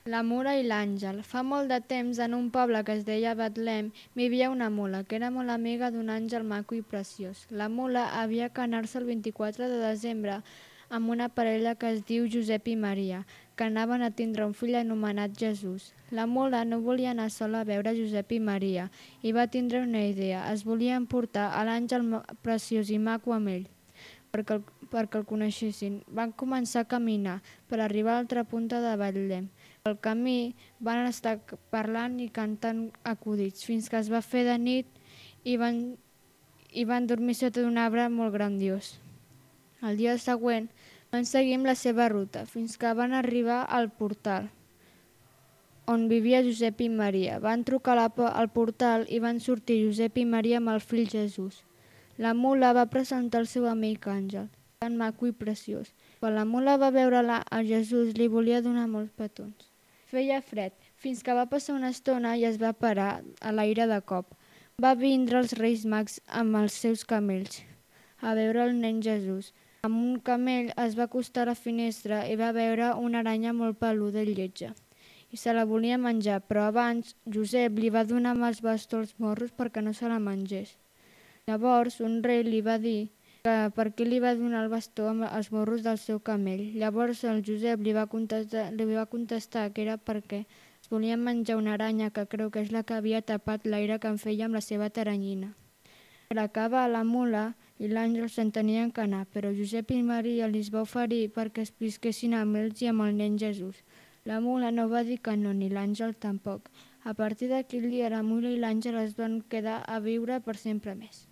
La mula i l'àngel. Fa molt de temps, en un poble que es deia Betlem, vivia una mula, que era molt amiga d'un àngel maco i preciós. La mula havia d'anar-se el 24 de desembre amb una parella que es diu Josep i Maria, que anaven a tindre un fill anomenat Jesús. La mula no volia anar sola a veure Josep i Maria i va tindre una idea. Es volia emportar a l'àngel preciós i maco amb ell perquè el coneixessin. Van començar a caminar per arribar a l'altra punta de Betlem. Pel camí van estar parlant i cantant acudits fins que es va fer de nit i van dormir sota d'un arbre molt grandiós. El dia següent van seguir amb la seva ruta fins que van arribar al portal on vivia Josep i Maria. Van trucar al portal i van sortir Josep i Maria amb el fill Jesús. La mula va presentar el seu amic Àngel, tan maco i preciós. Quan la mula va veure a Jesús, li volia donar molts petons. Feia fred, fins que va passar una estona i es va parar a l'aire de cop. Va vindre els Reis Mags amb els seus camells a veure el nen Jesús. Amb un camell es va acostar a la finestra i va veure una aranya molt peluda i lletja i se la volia menjar, però abans Josep li va donar amb els bastons als morros perquè no se la mengés. Llavors un rei li va dir que per què li va donar el bastó amb els morros del seu camell. Llavors el Josep li va contestar que era perquè es volien menjar una aranya que creu que és la que havia tapat l'aire que en feia amb la seva taranyina. Per acabar, la mula i l'àngel se'n tenien que anar, però Josep i Maria li va oferir perquè es visquessin amb ells i amb el nen Jesús. La mula no va dir que no, ni l'àngel tampoc. A partir d'aquell dia, la mula i l'àngel es van quedar a viure per sempre més.